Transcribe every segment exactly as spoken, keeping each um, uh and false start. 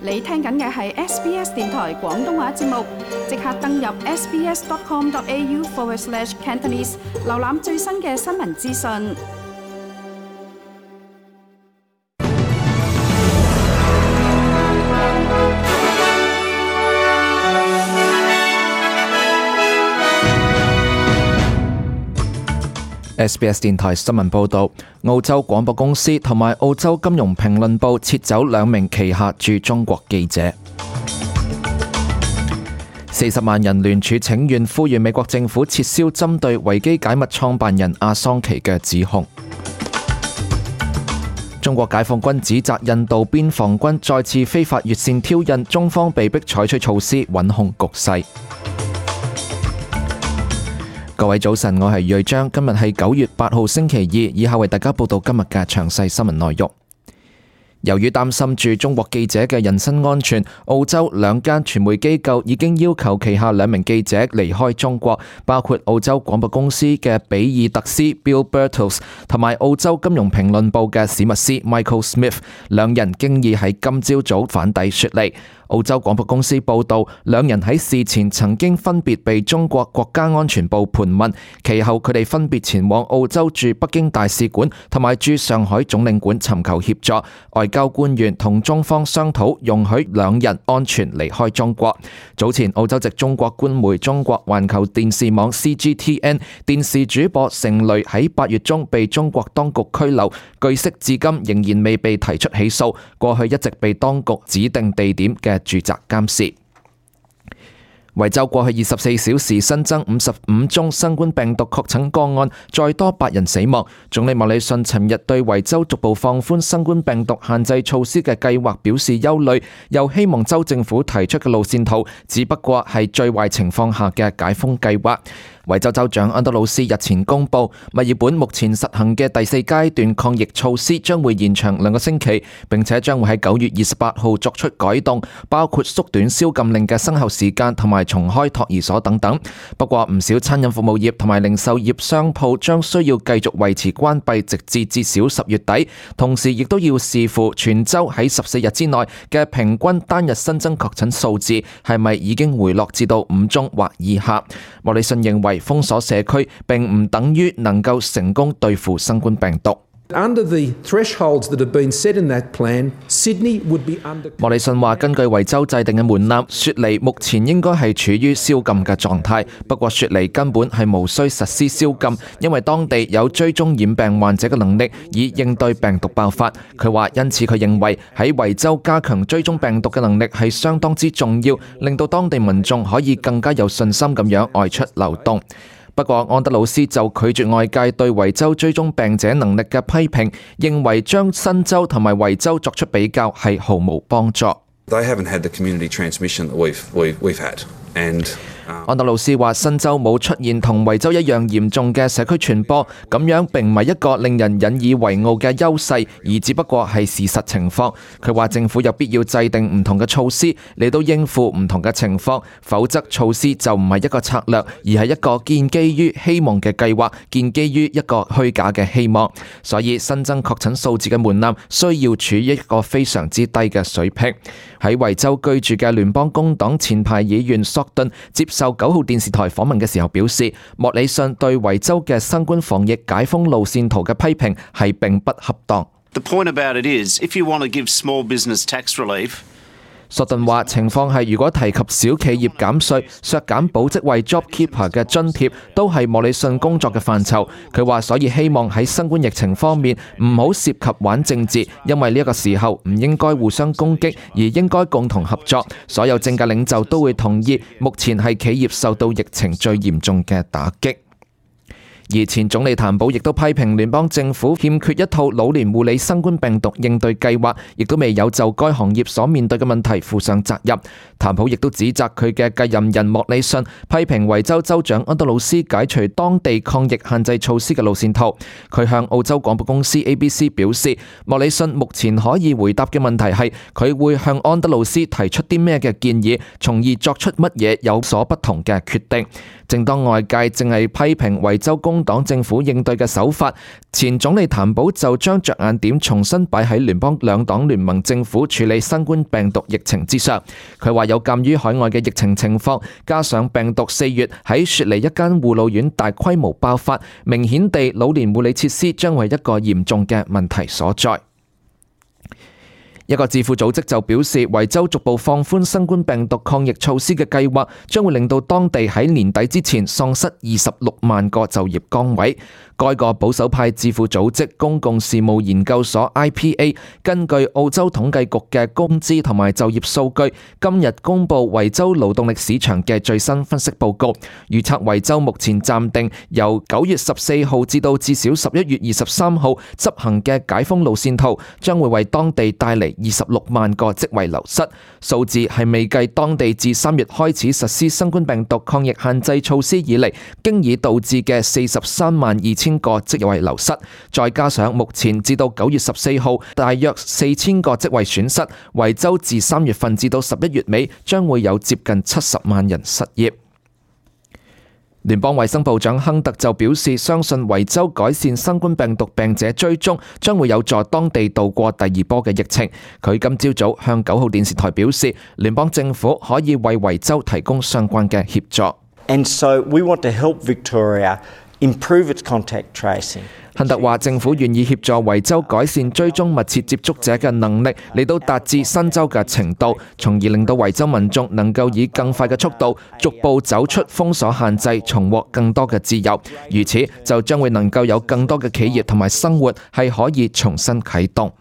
你聽緊嘅係 S B S 電台廣東話節目，即刻登入 sbs.com.au forward slash Cantonese， 瀏覽最新嘅新聞資訊。S B S 電台新聞報導，澳洲廣播公司同埋澳洲金融評論報撤走兩名旗下駐中國記者。四十萬人聯署請願，呼籲美國政府撤銷針對維基解密創辦人阿桑奇嘅指控。中國解放軍指責印度邊防軍再次非法越線挑釁，中方被迫採取措施穩控局勢。各位早晨，我係瑞章，今日係九月八號星期二，以下為大家報道今日嘅詳細新聞內容。由於擔心駐中國記者嘅人身安全，澳洲兩間傳媒機構已經要求旗下兩名記者離開中國，包括澳洲廣播公司嘅比爾特斯 Bill Birtles 同埋澳洲金融評論報嘅史密斯 Michael Smith， 兩人經已喺今朝早返抵雪梨。澳洲廣播公司報道，兩人喺事前曾經分別被中國國家安全部盤問，其後佢哋分別前往澳洲駐北京大使館同埋駐上海總領館尋求協助。外交官員同中方商討容許兩人安全離開中國。早前澳洲籍中國官媒中國環球電視網 C G T N 電視主播成蕾喺八月中被中國當局拘留，據悉至今仍然未被提出起訴，過去一直被當局指定地點嘅住宅監視。維州過去二十四小時新增五十五宗新冠病毒確診個案，再多八人死亡。總理莫里遜尋日對維州逐步放寬新冠病毒限制措施嘅計劃表示憂慮，又希望州政府提出嘅路線圖只不過係最壞情況下嘅解封計劃。維州州長安德魯斯日前公布，墨爾本目前實行嘅第四階段抗疫措施將會延長兩個星期，並且將會喺九月二十八號作出改動，包括縮短宵禁令嘅生效時間同埋重開托兒所等等。不過唔少餐飲服務業同埋零售業商鋪將需要繼續維持關閉，直至至少十月底，同時亦都要視乎全州喺十四日之內嘅平均單日新增確診數字係咪已經回落至到五宗或以下。莫里遜認為封鎖社區並唔等於能夠成功對付新冠病毒。Under the thresholds that have been set in that plan, Sydney would be under. 莫里遜話：根據維州制定嘅門檻，雪梨目前應該係處於宵禁嘅狀態。不過雪梨根本係無需實施宵禁，因為當地有追蹤染病患者嘅能力，以應對病毒爆發。佢話：因此佢認為喺維州加強追蹤病毒嘅能力係相當之重要，令到當地民眾可以更加有信心咁樣外出流動。不過，安德魯斯就拒絕外界對維州追蹤病者能力嘅批評，認為將新州同埋維州作出比較係毫無幫助。They haven't had the community transmission that we've, we've, we've had. And安德魯斯話：新州冇出現同維州一樣嚴重嘅社區傳播，咁樣並唔係一個令人引以為傲嘅優勢，而只不過係事實情況。佢話政府有必要制定唔同嘅措施嚟到應付唔同嘅情況，否則措施就唔係一個策略，而係一個建基於希望嘅計劃，建基於一個虛假嘅希望。所以新增確診數字嘅門檻需要處於一個非常之低嘅水平。喺維州居住嘅聯邦工黨前排議員索頓接受九號電視台訪問嘅時候表示，莫里遜對維州嘅新冠防疫解封路線圖嘅批評係並不恰當。The point about it is, if you want to give small business tax relief, 索頓話：情況係，如果提及小企業減稅、削減保職位 JobKeeper 嘅津貼，都係莫里遜工作嘅範疇。佢話：所以希望喺新冠疫情方面唔好涉及玩政治，因為呢一個時候唔應該互相攻擊，而應該共同合作。所有政界領袖都會同意，目前係企業受到疫情最嚴重嘅打擊。而前總理譚寶亦都批評聯邦政府欠缺一套老年護理新冠病毒應對計劃，亦都未有就該行業所面對嘅問題負上責任。譚寶亦都指責佢嘅繼任人莫里遜批評維州州長安德魯斯解除當地抗疫限制措施嘅路線圖。佢向澳洲廣播公司 A B C 表示，莫里遜目前可以回答嘅問題係佢會向安德魯斯提出啲咩嘅建議，從而作出乜嘢有所不同嘅決定。正當外界正係批評維州公工黨政府應對嘅手法，前總理譚寶就將着眼點重新擺喺聯邦兩黨聯盟政府處理新冠病毒疫情之上。佢話有鑑於海外嘅疫情情況，加上病毒四月喺雪梨一間護老院大規模爆發，明顯地老年護理設施將為一個嚴重嘅問題所在。一個智庫組織就表示，維州逐步放寬新冠病毒抗疫措施嘅計劃，將會令到當地喺年底之前喪失二十六萬個就業崗位。該個保守派智庫組織公共事務研究所 I P A 根據澳洲統計局嘅工資同埋就業數據，今日公布維州勞動力市場嘅最新分析報告，預測維州目前暫定由九月十四號至到至少十一月二十三號執行嘅解封路線圖，將會為當地帶嚟二十六萬個職位流失。數字係未計當地自三月開始實施新冠病毒抗疫限制措施以嚟，經已導致嘅四十三萬二千個職位流失，再加上目前至到九月十四號大約四千個職位損失，維州自三月份至到十一月尾將會有接近七十萬人失業。聯邦衛生部長亨特就表示，相信維州改善新冠病毒病者追蹤將會有助當地度過第二波嘅疫情。佢今朝早向九號電視台表示，聯邦政府可以為維州提供相關嘅協助。And so we want to help Victoria improve its contact tracing. 亨特話政府願意協助維州改善追蹤密切接觸者嘅能力，嚟到達至新州嘅程度，從而令到維州民眾能夠以更快嘅速度逐步走出封鎖限制，重獲更多嘅自由。如此就將會能夠有更多嘅企業同埋生活係可以重新啟動。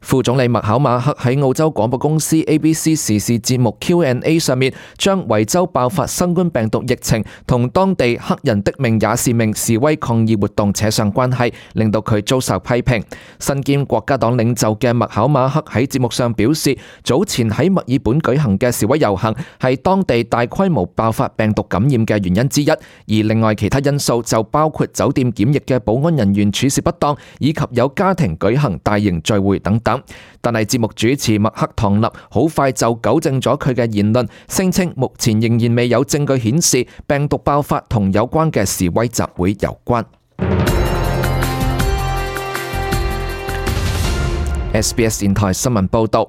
副總理麥考馬克喺澳洲廣播公司 A B C 時事節目 Q and A 上面，將維州爆發新冠病毒疫情同當地黑人的命也是命示威抗議活動扯上關係，令到佢遭受批評。身兼國家黨領袖嘅麥考馬克喺節目上表示，早前喺墨爾本舉行嘅示威遊行係當地大規模爆發病毒感染嘅原因之一，而另外其他因素就包括酒店檢疫嘅保安人員處事不當，以及有家庭舉行大型聚會等等。但係節目主持麥克唐納好快就糾正咗佢嘅言論，聲稱目前仍然未有證據顯示病毒爆發同有關嘅示威集會有關。S B S 電台新聞報道，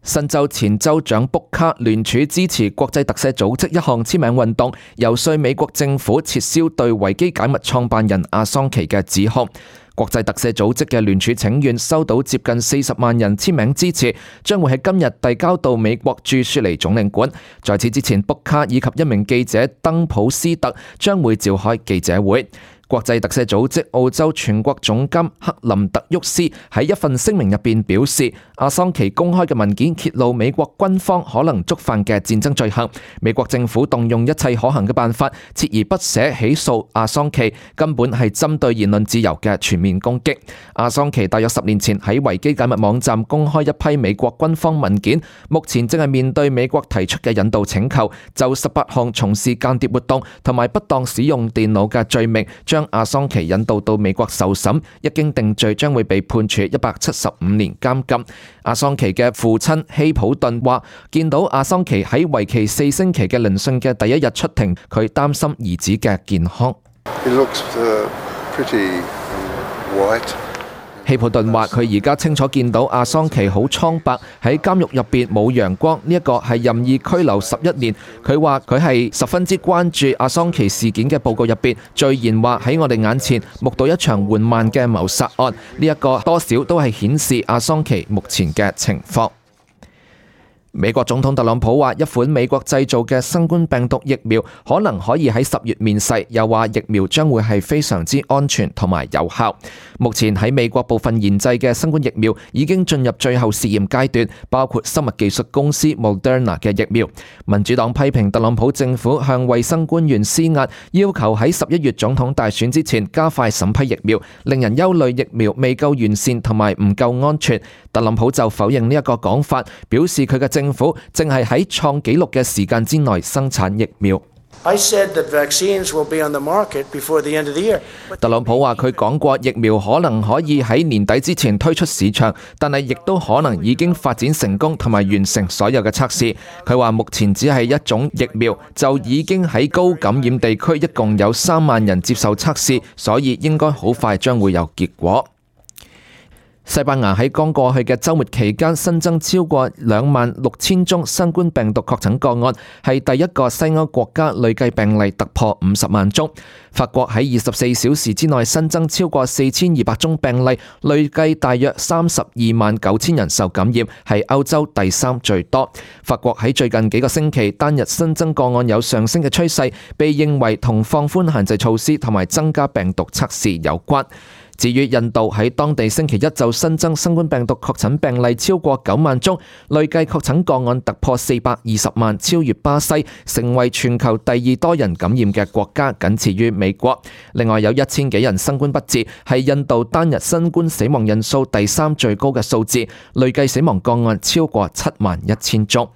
新州前州長卜卡聯署支持國際特赦組織一項簽名運動，游說美國政府撤銷對維基解密創辦人阿桑奇嘅指控。國際特赦組織嘅聯署請願收到接近四十萬人簽名支持，將會喺今日遞交到美國駐雪梨總領館。在此之前，卜卡以及一名記者登普斯特將會召開記者會。國際特赦組織澳洲全國總監克林特沃斯喺一份聲明入邊表示，阿桑奇公開嘅文件揭露美國軍方可能觸犯嘅戰爭罪行，美國政府動用一切可行嘅辦法，鍥而不捨起訴阿桑奇，根本係針對言論自由嘅全面攻擊。阿桑奇大約十年前喺維基解密網站公開一批美國軍方文件，目前正係面對美國提出嘅引渡請求，就十八項從事間諜活動同埋不當使用電腦嘅罪名，將阿桑奇引渡到美國受審，一經定罪將會被判處一百七十五年監禁。阿桑奇嘅父親希普頓話，見到阿桑奇喺為期四星期嘅聆訊嘅第一日出庭，佢擔心兒子嘅健康。He looks, uh, pretty white. 希普頓話：佢而家清楚見到阿桑奇好蒼白，喺監獄入邊冇陽光，呢一個係任意拘留十一年。佢話佢係十分之關注阿桑奇事件嘅報告入邊，序言話喺我哋眼前目睹一場緩慢嘅謀殺案，呢一個多少都係顯示阿桑奇目前嘅情況。美國總統特朗普話，一款美國製造嘅新冠病毒疫苗可能可以喺十月面世，又話疫苗將會係非常之安全同埋有效。目前喺美國部分研製嘅新冠疫苗已經進入最後試驗階段，包括生物技術公司 Moderna 嘅疫苗。民主黨批評特朗普政府向衛生官員施壓，要求喺十一月總統大選之前加快審批疫苗，令人憂慮疫苗未夠完善同埋唔夠安全。特朗普就否認呢一個講法，表示佢嘅政府正係喺創紀錄嘅時間之內生產疫苗。I said that vaccines will be on the market before the end of the year. 特朗普話佢講過疫苗可能可以喺年底之前推出市場，但係亦都可能已經發展成功同埋完成所有嘅測試。佢話目前只係一種疫苗，就已經喺高感染地區一共有三萬人接受測試，所以應該好快將會有結果。西班牙喺剛過去嘅週末期間新增超過兩萬六千宗新冠病毒確診個案，係第一個西歐國家累計病例突破五十萬宗。法國喺二十四小時之內新增超過四千二百宗病例，累計大約三十二萬九千人受感染，係歐洲第三最多。法國喺最近幾個星期單日新增個案有上升嘅趨勢，被認為同放寬限制措施同埋增加病毒測試有關。至於印度喺當地星期一就新增新冠病毒確診病例超過九萬宗，累計確診個案突破四百二十萬，超越巴西，成為全球第二多人感染嘅國家，僅次於美國。另外有一千幾人新冠不治，係印度單日新冠死亡人數第三最高嘅數字，累計死亡個案超過七萬一千宗。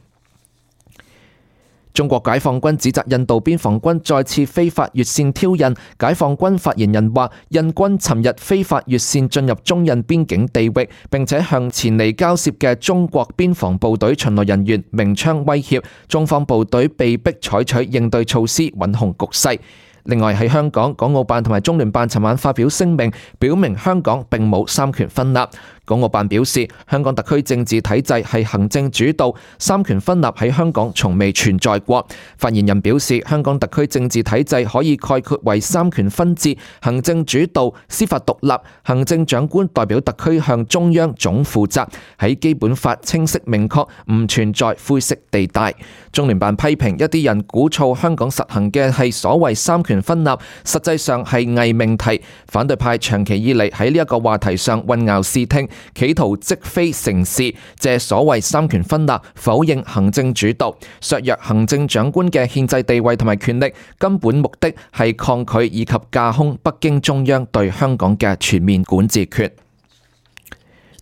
中國解放軍指責印度邊防軍再次非法越線挑釁。解放軍發言人話，印軍尋日非法越線進入中印邊境地域，並且向前嚟交涉嘅中國邊防部隊巡邏人員鳴槍威脅，中方部隊被迫採取應對措施，穩控局勢。另外喺香港，港澳辦同埋中聯辦尋晚發表聲明，表明香港並冇三權分立。港澳辦表示，香港特區政治體制係行政主導，三權分立喺香港從未存在過。發言人表示，香港特區政治體制可以概括為三權分治、行政主導、司法獨立，行政長官代表特區向中央總負責，喺基本法清晰明確，唔存在灰色地帶。中聯辦批評一啲人鼓噪香港實行嘅係所謂三權分立，實際上係偽命題。反對派長期以嚟喺呢一個話題上混淆視聽，企圖積非成是，借所謂三權分立否認行政主導，削弱行政長官嘅憲制地位同埋權力，根本目的係抗拒以及架空北京中央對香港嘅全面管治權。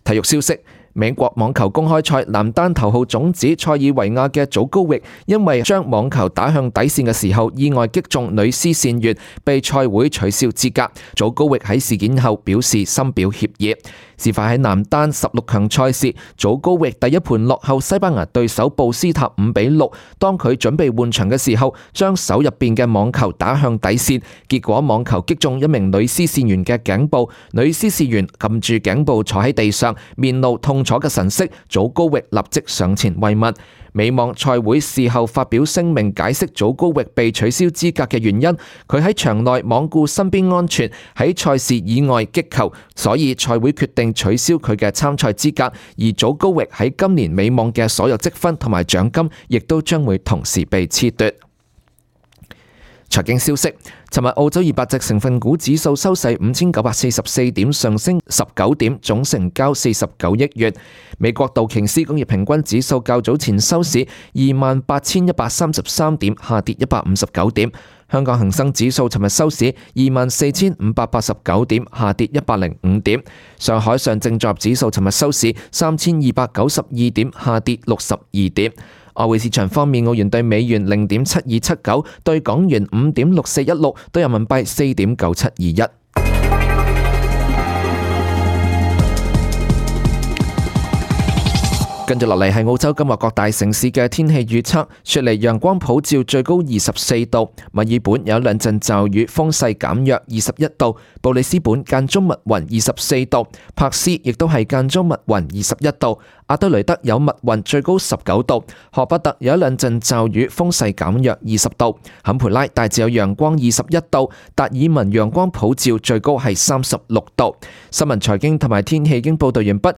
體育消息。美國網球公開賽男單頭號種子塞爾維亞嘅祖高域，因為將網球打向底線嘅時候意外擊中女絲線員，被賽會取消資格。祖高域喺事件後表示深表歉意。事發喺男單十六強賽事，祖高域第一盤落後西班牙對手布斯塔五比六，當佢準備換場嘅時候，將手入邊嘅網球打向底線，結果網球擊中一名女絲線員嘅頸部，女絲線員撳住頸部坐喺地上，面露痛楚嘅神色，祖高域立即上前慰問。美網賽會事後發表聲明解釋祖高域被取消資格嘅原因，佢喺場內罔顧身邊安全，喺賽事以外擊球，所以賽會決定取消佢嘅參賽資格，而祖高域喺今年美網嘅所有積分同埋獎金亦都將會同時被褫奪。財經消息，尋日澳洲二百隻成分股指數收市五千九百四十四點，上升十九點，總成交四十九億元。美國道瓊斯工業平均指數較早前收市二萬八千一百三十三點，下跌一百五十九點。香港恒生指數尋日收市二萬四千五百八十九點，下跌一百零五點。上海上證綜合指數尋日收市三千二百九十二點，下跌六十二點。外匯市場方面，澳元對美元零點七二七九，對港元五點六四一六，對人民幣四點九七二一。跟住落嚟係澳洲今日各大城市嘅天氣預測。雪梨陽光普照，最高二十四度；墨爾本有兩陣驟雨，風勢減弱，二十一度；布里斯本間中密雲，二十四度；珀斯亦都係間中密雲，二十一度；阿德雷德有密雲，最高十九度；荷伯特有一兩陣驟雨，風勢減弱，二十度；坎培拉大致有陽光，二十一度；達爾文陽光普照，最高係三十六度。新聞財經同埋天氣已經報道完畢。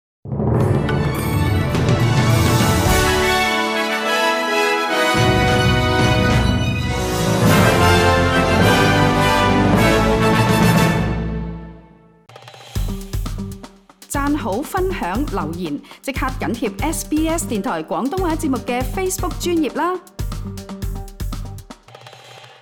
讚好、分享、留言，即刻緊貼 S B S 電台廣東話節目嘅 Facebook 專頁啦！